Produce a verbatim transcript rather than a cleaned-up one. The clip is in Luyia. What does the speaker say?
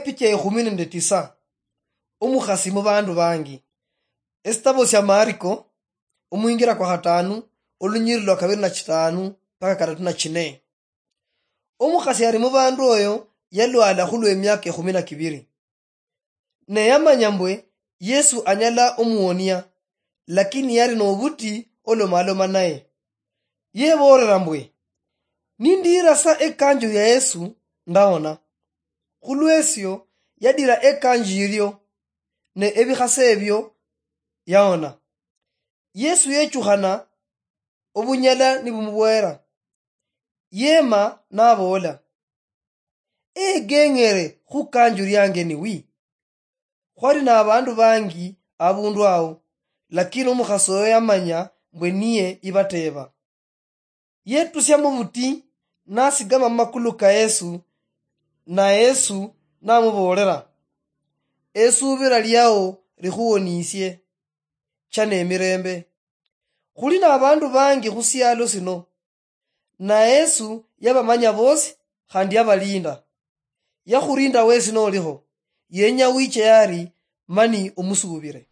Picha ekhumi nende tisa. Omukhasi mubandu bangi. Esitabo sia Mariko, omwingira kwa khatanu, olunyiriri lwa kabiri na chitanu mpaka katatu na chine. Omukhasi ali mubandu oyo yalwala khulwa emiaka ekhumi na kibiri. Ne yamanya mbwe Yesu anyala omuwonia, lakini yali nobuti olomaloma naye. Yebolera mbwe, "Nindiira sa ekanju ya Yesu, ndawona." Khulwesio yadira ekanju yirio, ne ebikhase ebio yawona. Yesu yechukhana obunyala nibumubwera. Yema naboola, "Egeng'ere khukanju liange ni wi?" Khwali nabandu bangi abundu ao, lakini omukhasi oyo yamanya mbwe niye ibateeba. Yetusia mubuti, nasigama mumakulu ka Yesu, na Yesu namuboolera, "Esubira liao likhuwonisie, cha nemirembe." Khuli nabandu bangi khusialo sino, na Yesu yabamanya bosi khandi yabalinda. Yakhurinda wesi noliho, yenya wiche yari mani omusubire.